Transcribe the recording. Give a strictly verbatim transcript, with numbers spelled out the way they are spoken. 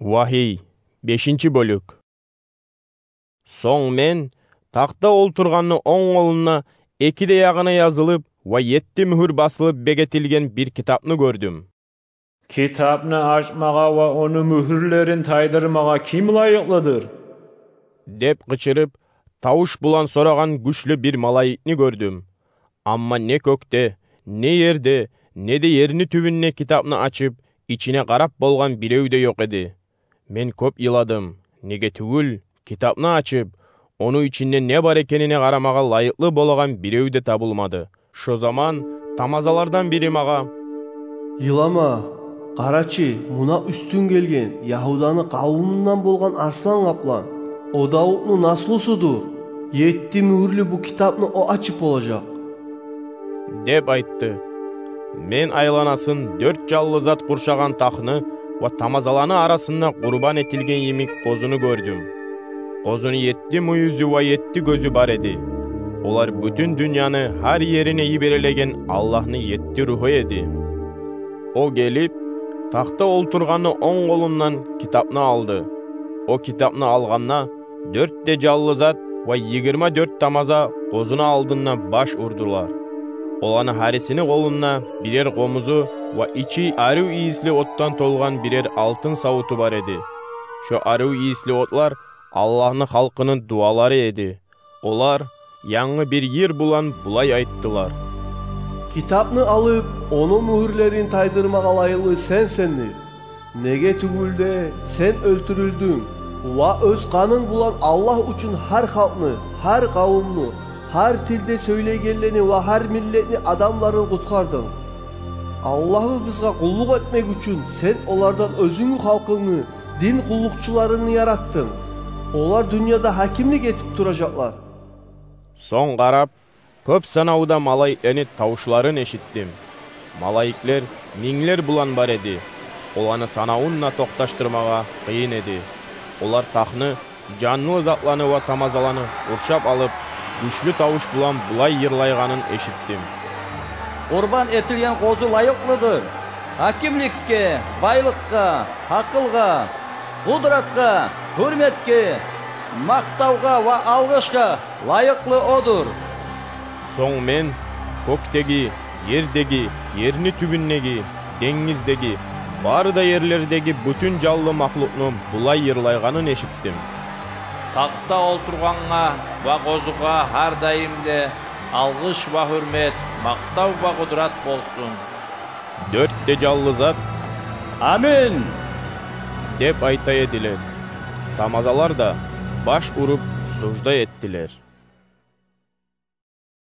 Вагьий, бешинчи бёлюк. Сонг мен тахта олтургъанны онг къолунда эки де ягъына язылып ва етти мюгюр басылып бегетилген бир китапны гёрдюм. «Китапны ачмагъа ва ону мюгюрлерин тайдырмагъа ким лайыкълыдыр?» — деп къычырып, тавуш булан сорагъан гючлю бир малайикни гёрдюм. Амма не кёкде, не ерде, не де ерни тюбюнде китапны ачып, ичине къарап болгъан бирев де ёкъ эди. Мен кёп йыладым, неге тюгюл, китапны ачып, ону ичинде не бар экенине къарамагъа лайыкълы болагъан бирев де табылмады. Шо заман тамазалардан бири магъа: «Йылама, къарачы, муна уьстюнг гелген Ягьуданы къавумундан болгъан арслан къаплан. О Давутну наслусудур. Етти мюгюрлю бу китапны о ачып болажакъ», — деп айтды. Мен айланасын дёрт жаллы зат къуршагъан тахны ва тамазаланы арасында къурбан этилген йимик къозуну гёрдюм. Къозуну етти мюйюзю ва етти гёзю бар эди. Олар бютюн дюньяны гьар ерине йиберелеген Аллагьны етти ругьу эди. О гелип, тахта олтургъанны онг къолундан китапны алды. О китапны алгъанда, дёрт де жаллы зат ва йигирма дёрт тамаза къозуну алдында баш урдулар. Оланы гьарисини къолунда бирер къомузу ва ичи арив ийисли оттан толгъан бирер алтын савуту бар эди. Шо арив ийисли отлар Аллагьны халкъыны дуалары эди. Олар янгы бир йыр булан булай айттылар: «Китапны алып, ону мюгюрлерин тайдырмагъа лайыкълы сен сендир. Неге тюгюл де, сен оьлтюрюлдюнг ва оьз къанынг булан Аллагь учун гьар халкъны, гьар къавумну, гьар тилде сёйлейгенлени ва гьар миллетни адамларын къутгъардынг. Аллагьыбызгъа къуллукъ этмек учун сен олардан оьзюнгню халкъынгны, дин къуллукъчуларынгны яратдынг. Олар дюньяда гьакимлик этип туражакълар». Сонг къарап, кёп санавда малайиклени тавушларын эшитдим. Малайиклер минглер булан бар эди. Оланы санавун да токъташдырмагъа къыйын эди. Олар тахны, жанлы затланы ва тамазаланы къуршап алып, гючлю тавуш булан булай йырлайгъанын эшитдим: «Къурбан этилген къозу лайыкълыдыр гьакимликге, байлыкъгъа, гьакъылгъа, къудратгъа, гьюрметге, макътавгъа ва алгъышгъа лайыкълы одур». Сонг мен кёкдеги, ердеги, ерни тюбюндеги, денгиздеги, бары да ерлердеги бютюн жанлы махлукъну булай йырлайгъанын эшитдим: «Тахта олтургъангъа ва Къозугъа гьар дайым да алгъыш ва гьюрмет, макътав ва къудрат болсун». Дёрт де жанлы зат: «Амин!» — деп айта эдилер. Тамазалар да баш уруп сужда этдилер.